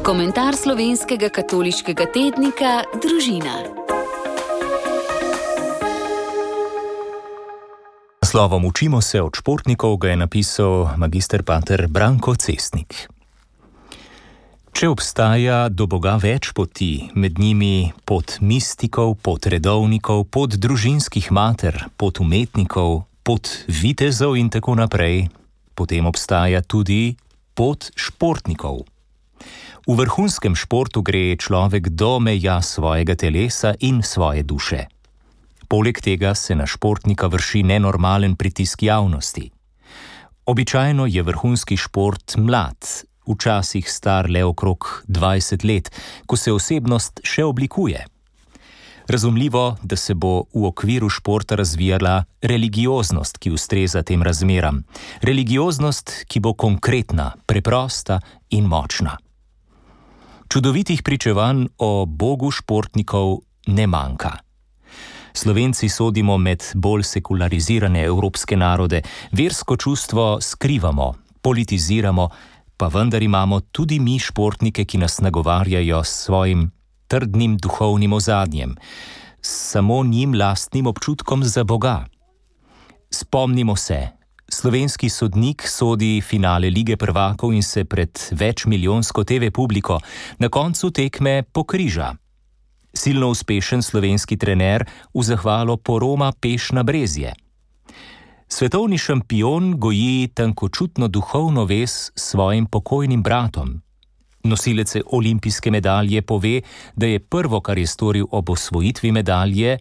Komentar slovenskega katoliškega tednika Družina. Slovom Učimo se od športnikov ga je napisal magister pater Branko Cestnik. Če obstaja do Boga več poti, med njimi pot mistikov, pot redovnikov, pot družinskih mater, pot umetnikov, pot vitezov in tako naprej, potem obstaja tudi pot športnikov. V vrhunskem športu gre človek do meja svojega telesa in svoje duše. Poleg tega se na športnika vrši nenormalen pritisk javnosti. Običajno je vrhunski šport mlad, včasih star le okrog 20 let, ko se osebnost še oblikuje. Razumljivo, da se bo v okviru športa razvijala religioznost, ki ustreza tem razmeram. Religioznost, ki bo konkretna, preprosta in močna. Čudovitih pričevanj o Bogu športnikov ne manjka. Slovenci sodimo med bolj sekularizirane evropske narode, versko čustvo skrivamo, politiziramo, pa vendar imamo tudi mi športnike, ki nas nagovarjajo s svojim trdnim duhovnim ozadjem, samo njim lastnim občutkom za Boga. Spomnimo se, slovenski sodnik sodi finale Lige prvakov in se pred večmilijonsko TV publiko na koncu tekme pokriža. Silno uspešen slovenski trener v zahvalo poroma peš na brezje. Svetovni šampion goji tankočutno duhovno vez s svojim pokojnim bratom. Nosilec olimpijske medalje pove, da je prvo, kar je storil ob osvojitvi medalje,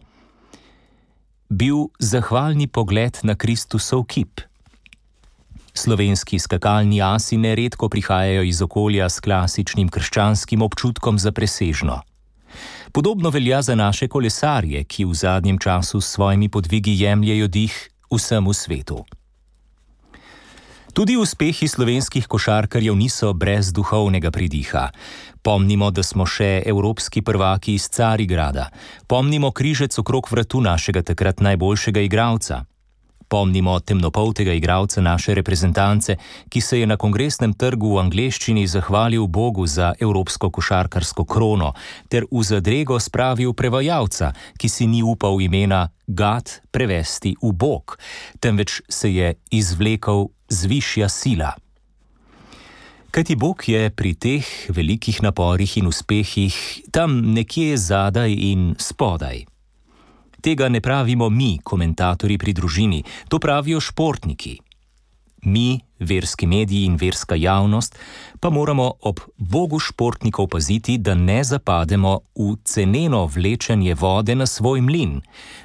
bil zahvalni pogled na Kristusov kip. Slovenski skakalni asi neredko prihajajo iz okolja s klasičnim krščanskim občutkom za presežno. Podobno velja za naše kolesarje, ki v zadnjem času s svojimi podvigi jemljejo dih vsemu svetu. Tudi uspehi slovenskih košarkarjev niso brez duhovnega pridiha. Pomnimo, da smo še evropski prvaki iz Carigrada. Pomnimo križec okrog vratu našega takrat najboljšega igralca. Pomnimo temnopoltega igralca naše reprezentance, ki se je na kongresnem trgu v angleščini zahvalil Bogu za evropsko košarkarsko krono, ter v zadrego spravil prevajalca, ki si ni upal imena Gad prevesti v Bog, temveč se je izvlekel zvišja sila. Kajti Bog je pri teh velikih naporih in uspehih tam nekje zadaj in spodaj. Tega ne pravimo mi, komentatorji pri Družini, to pravijo športniki. Mi, verski mediji in verska javnost, pa moramo ob Bogu športnikov paziti, da ne zapademo v ceneno vlečenje vode na svoj mlin,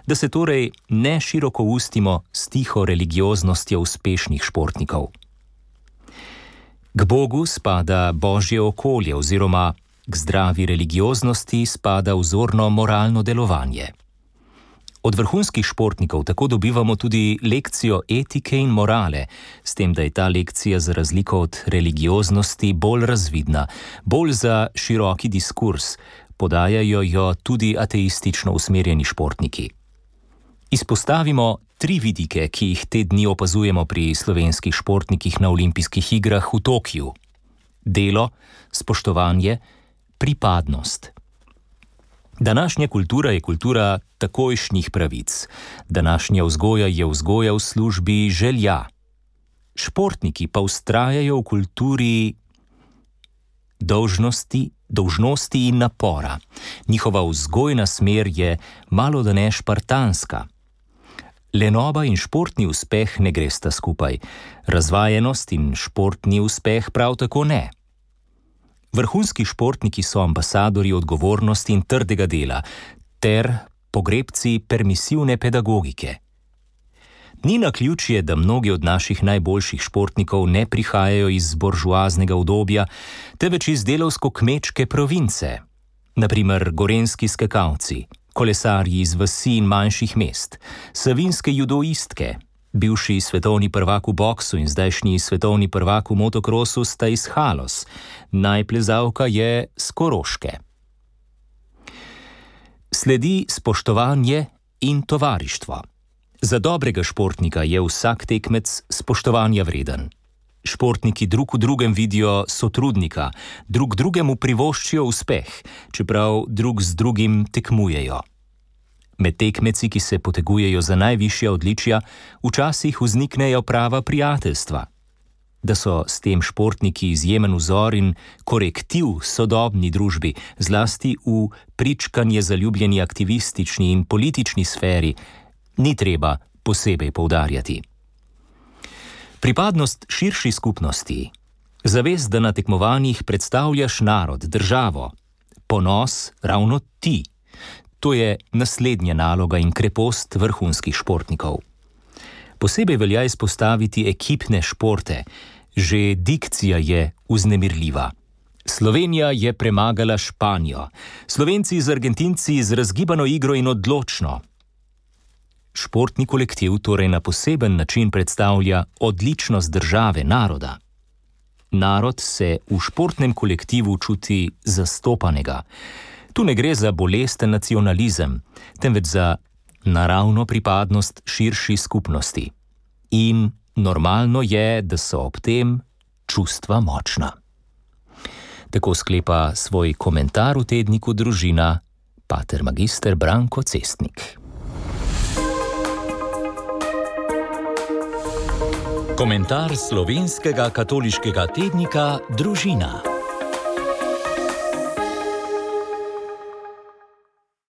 da se torej ne široko ustimo s tiho religioznostjo uspešnih športnikov. K Bogu spada božje okolje oziroma k zdravi religioznosti spada vzorno moralno delovanje. Od vrhunskih športnikov tako dobivamo tudi lekcijo etike in morale, s tem, da je ta lekcija za razliko od religioznosti bolj razvidna, bolj za široki diskurs, podajajo jo tudi ateistično usmerjeni športniki. Izpostavimo 3 vidike, ki jih te dni opazujemo pri slovenskih športnikih na olimpijskih igrah v Tokiu. Delo, spoštovanje, pripadnost. Današnja kultura je kultura takojšnjih pravic. Današnja vzgoja je vzgoja v službi želja. Športniki pa vztrajajo v kulturi dolžnosti in napora. Njihova vzgojna smer je malodane špartanska. Lenoba in športni uspeh ne gresta skupaj. Razvajenost in športni uspeh prav tako ne. Vrhunski športniki so ambasadorji odgovornosti in trdega dela, ter pogrebci permisivne pedagogike. Ni naključje, da mnogi od naših najboljših športnikov ne prihajajo iz buržoaznega udobja, temveč iz delavsko-kmečke province. Na primer gorenjski skakalci, kolesarji iz vasi in manjših mest, savinske judoistke, bivši svetovni prvak v boksu in zdajšnji svetovni prvak v motokrosu sta iz Halos, najplezalka je s Koroške. Sledi spoštovanje in tovarištvo. Za dobrega športnika je vsak tekmec spoštovanja vreden. Športniki drug v drugem vidijo sotrudnika, drug drugemu privoščijo uspeh, čeprav drug z drugim tekmujejo. Med tekmeci, ki se potegujejo za najvišja odličja, včasih vzniknejo prava prijateljstva. Da so s tem športniki izjemen vzor in korektiv sodobni družbi, zlasti v pričkanje zaljubljeni aktivistični in politični sferi, ni treba posebej poudarjati. Pripadnost širši skupnosti, zavest, da na tekmovanjih predstavljaš narod, državo, ponos ravno ti, to je naslednja naloga in krepost vrhunskih športnikov. Posebej velja izpostaviti ekipne športe. Že dikcija je vznemirljiva. Slovenija je premagala Španijo, Slovenci z Argentinci z razgibano igro in odločno. Športni kolektiv torej na poseben način predstavlja odličnost države, naroda. Narod se v športnem kolektivu čuti zastopanega. Tu ne gre za bolesten nacionalizem, temveč za naravno pripadnost širši skupnosti. In normalno je, da so ob tem čustva močna. Tako sklepa svoj komentar v tedniku Družina pater magister Branko Cestnik. Komentar slovenskega katoliškega tednika Družina.